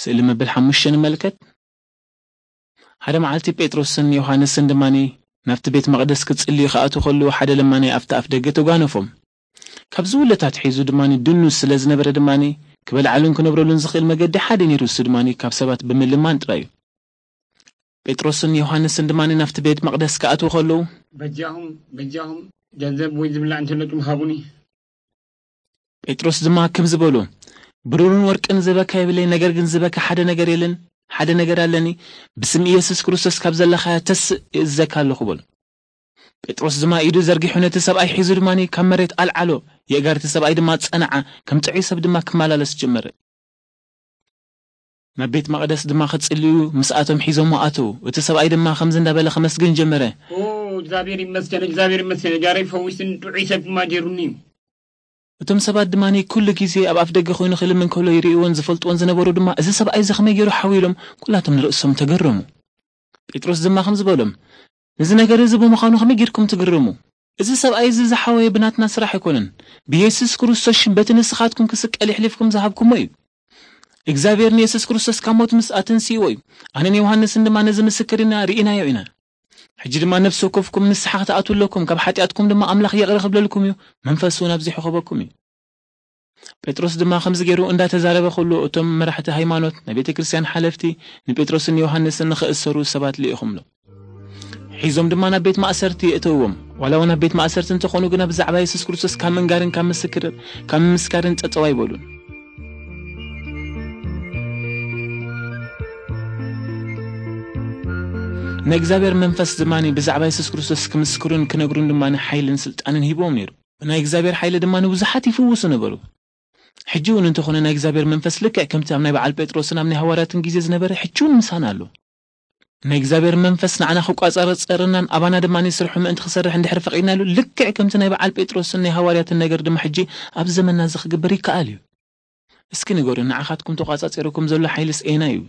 ስእሊ መበል ሓሙሽተ ንመልከት። ሓደ መዓልቲ ጴጥሮስን ዮሃንስን ድማኒ ናብቲ ቤት መቕደስ ክጽልዩ ክኣትዉ ከለዉ፣ ሓደ ለማናይ ኣብቲ ኣፍ ደገ ተጓነፎም። ካብ ዝውለድ ኣትሒዙ ድማኒ ድኑስ ስለ ዝነበረ ድማኒ፣ ክበልዓሉን ክነብረሉን ዝኽእል መገዲ ሓደ ነይሩ፣ እሱ ድማኒ ካብ ሰባት ብምልማን ጥራይ እዩ። ጴጥሮስን ዮሃንስን ድማኒ ናብቲ ቤት መቕደስ ክኣትዉ ከለዉ፣ በጃኹም፣ በጃኹም፣ ገንዘብ ወይ ዝብላዕ እንተለኩም ሃቡኒ። ጴጥሮስ ድማ ከምዚ በሎ፣ ብሩርን ወርቅን ዝበካ የብለይ፣ ነገር ግን ዝበካ ሓደ ነገር የለን፣ ሓደ ነገር ኣለኒ፣ ብስም ኢየሱስ ክርስቶስ ካብ ዘለኻያ ተስእ እእዝዘካ ኣለኹ በሎ። ጴጥሮስ ድማ ኢዱ ዘርጊሑ ነቲ ሰብኣይ ሒዙ ድማኒ ካብ መሬት ኣልዓሎ፣ የእጋር እቲ ሰብኣይ ድማ ጸንዓ፣ ከም ጥዑይ ሰብ ድማ ክመላለስ ጀመረ። ናብ ቤት መቕደስ ድማ ክጽልዩ ምስኣቶም ሒዞሞ ኣተዉ። እቲ ሰብኣይ ድማ ከምዚ እንዳበለ ከመስግን ጀመረ። ኦ፣ እግዚኣብሔር ይመስገን፣ እግዚኣብሔር ይመስገን፣ እጋረይ ፈዊስን ጥዑይ ሰብ ድማ ገይሩኒ። እቶም ሰባት ድማኒ ኩሉ ግዜ ኣብ ኣፍ ደገ ኮይኑ ክልምን ከሎ ይርእይዎን ዝፈልጥዎን ዝነበሩ ድማ፣ "እዚ ሰብኣይ እዚ ከመይ ገይሩ ሓው?" ኢሎም ኩላቶም ንርእሶም ተገረሙ። ጴጥሮስ ድማ ከምዚ በሎም፣ "እዚ ነገር እዚ ብምዃኑ ከመይ ጌርኩም ትግረሙ? እዚ ሰብኣይ እዚ ዝሓወየ ብናትና ስራሕ ኣይኮነን። ብየሱስ ክርስቶስ ሽም በቲ ንስኻትኩም ክስቀል የሕሊፍኩም ዝሃብኩሞ እዩ። እግዚኣብሔር ንየሱስ ክርስቶስ ካብ ሞት ምስ ኣተንስእዎ እዩ። ኣነን ዮሃንስን ድማ ነዚ ምስክር ኢና፣ ርኢናዮ ኢና። ሕጂ ድማ ነፍሲ ወከፍኩም ንስሓ ክትኣትዉ ኣለኩም፣ ካብ ሓጢኣትኩም ድማ ኣምላኽ ይቕረ ክብለልኩም እዩ፣ መንፈስ እውን ኣብዚሑ ክህበኩም እዩ።" ጴጥሮስ ድማ ከምዚ ገይሩ እንዳተዛረበ ከሎ፣ እቶም መራሕቲ ሃይማኖት፣ ናይ ቤተ ክርስቲያን ሓለፍቲ፣ ንጴጥሮስን ዮሃንስን ንኽእሰሩ ሰባት ልኢኹምሎም። ሒዞም ድማ ናብ ቤት ማእሰርቲ የእተውዎም። ዋላ እውን ኣብ ቤት ማእሰርቲ እንተኾኑ ግና፣ ብዛዕባ የሱስ ክርስቶስ ካብ ምንጋርን ካብ ምስክር-፣ ካብ ምምስካርን ጠጠው ኣይበሉን። ናይ እግዚኣብሔር መንፈስ ድማ ብዛዕባ የሱስ ክርስቶስ ክምስክሩን ክነግሩን ድማ ሓይልን ስልጣንን ሂብዎም ነይሩ። ብናይ እግዚኣብሔር ሓይሊ ድማ ንብዙሓት ይፍውሱ ነበሩ። ሕጂ እውን እንተኾነ፣ ናይ እግዚኣብሔር መንፈስ ልክዕ ከምቲ ኣብ ናይ በዓል ጴጥሮስን ኣብ ናይ ሃዋርያትን ግዜ ዝነበረ፣ ሕጂ እውን ምሳና ኣሎ። ናይ እግዚኣብሔር መንፈስ ንዓና ክቋጻጸረናን ኣባና ድማ ስርሑ ምእንቲ ክሰርሕ እንድሕር ፈቒድናሉ፣ ልክዕ ከምቲ ናይ በዓል ጴጥሮስን ናይ ሃዋርያትን ነገር ድማ ሕጂ ኣብ ዘመንና እዚ ክግበር ይከኣል እዩ። እስኪ ንገሩ፣ ንዓኻትኩም ተቋጻጺርኩም ዘሎ ሓይልስ ኣየናይ እዩ?